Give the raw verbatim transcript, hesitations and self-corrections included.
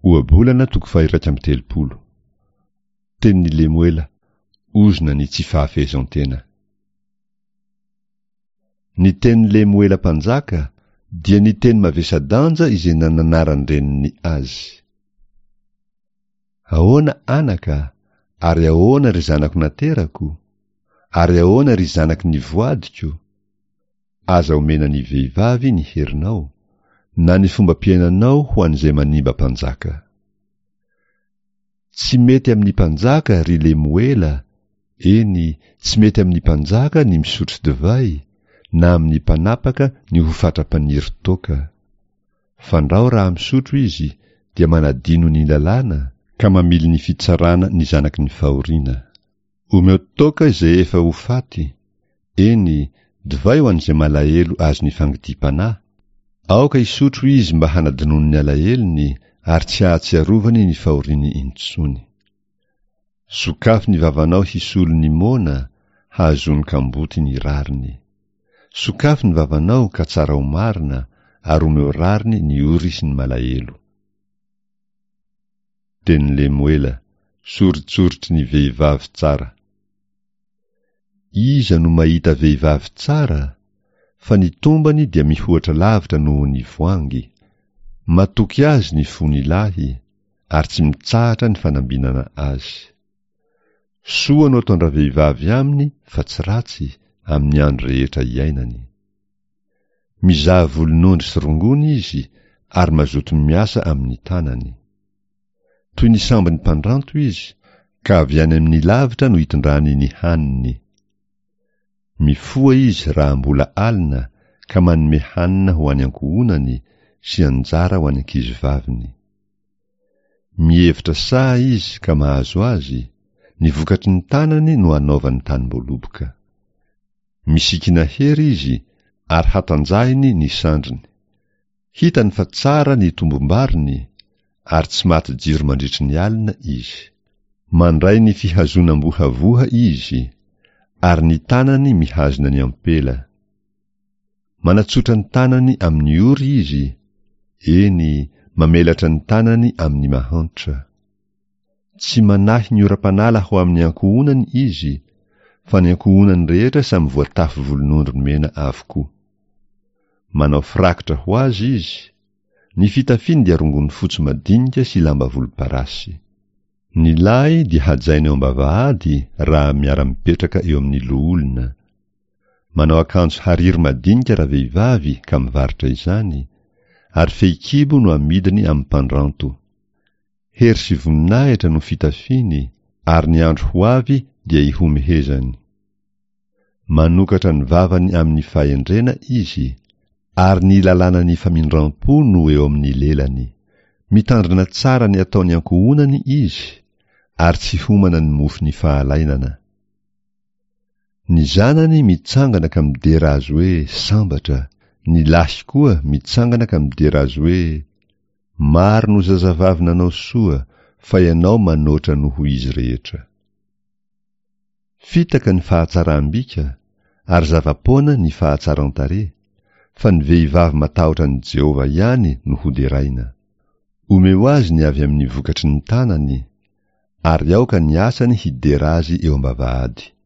Ohabolana toko faha-iraika amby telopolo. Tenin'i Lemoela, ozona ny tsy fahafehezan-tena. Ny tenin'i Lemoela mpanjaka dia ny teny mavesa-danja izay nananaran-dreniny azy. Ahoana anaka, ary ahoana ry zanako naterako? Ary ahoana ry zanaky ny voadiko? Aza omena ny vehivavy ny herinao, na ny fombam-piainanao ho an'izay manimba mpanjaka. Tsy mety amin'ny mpanjaka, ry Lemoela, eny, tsy mety amin'ny mpanjaka ny misotro divay, na amin'ny mpanapaka ny ho fatra-paniry toaka. Fandrao raha misotro izy, dia manadino ny lalàna, ka mamily ny fitsarana ny zanaky ny fahoriana. Omeo toaka izay efa ho faty, eny, divay ho an'izay malahelo azon'ny fangidiam-panahy. Aoka hisotro izy mba hanadinoany ny alahelony ary tsy hahatsiarovany ny fahoriany intsony. Sokafy ny vavanao hisolo ny moana, hahazoany kamboty ny rariny. Sokafy ny vavanao ka tsarao marina, ary omeo rariny ny ory sy ny malahelo. Tenin'i Lemoela, soritsoritry ny vehivavy tsara. Iza no mahita vehivavy tsara? Fa ny tombany dia mihoatra lavitra noho ny voangy. Matoky azy ny fony lahy, ary tsy mitsahatra ny fanambinana azy. Soa no ataon-dravehivavy aminy fa tsy ratsy, amin'ny andro rehetra iainany. Mizaha volonondry sy rongony izy ary mazoto miasa amin'ny tanany. Toy ny sambon'ny mpandranto izy, ka avy any amin'ny lavitra no itondrany ny haniny. Mifoha izy raha mbola alina ka manome hanina ho an'ny ankohonany sy anjara ho an'ny ankizivaviny. Mihevitra saha izy ka mahazo azy, ny vokatry ny tanany no anaovany tanim-boaloboka. Misikina hery izy ary hatanjahiny ny sandriny. Hitany fa tsara ny tombom-bariny, ary tsy maty jiro mandritry ny alina izy. Mandray ny fihazonam-bohavoha izy, ary ny tanany mihazona ny ampela. Manatsotra ny tanany amin'ny ory izy, eny, mamelatra ny tanany amin'ny mahantra. Tsy manahy ny oram-panala ho amin'ny ankohonany izy, fa ny ankohonany rehetra samy voatafy volonondry mena avokoa. Manao firakotra ho azy izy, ny fitafiany dia rongony fotsy madinika sy lamba volomparasy. Ny lahy dia hajaina eo am-bavahady raha miara-mipetraka eo amin'ny loholona. Manao akanjo hariry madinika ravehivavy ka mivarotra izany, ary fehikibo no amidiny amin'ny mpandranto. Hery sy voninahitra no fitafiany, ary ny andro ho avy dia ihomehezany. Manokatra ny vavany amin'ny fahendrena izy, ary ny lalànan'ny famindram-po no eo amin'ny lelany. Mitandrina tsara ny ataon'ny ankohonany izy, ary tsy homana ny mofon'ny fahalainana. Ny zanany mitsangana ka midera azy hoe sambatra, ny lahy koa mitsangana ka midera azy hoe maro no zazavavy nanao soa, fa ianao manoatra noho izy rehetra. Fitaka ny fahatsaram-bika, ary zava-poana ny fahatsaran-tarehy, fa ny vehivavy matahotra an'i Jehovah ihany no hoderaina. Omeo azy ny avy amin'ny vokatry ny tanany, ary aoka ny asany hidera azy eo am-bavahady.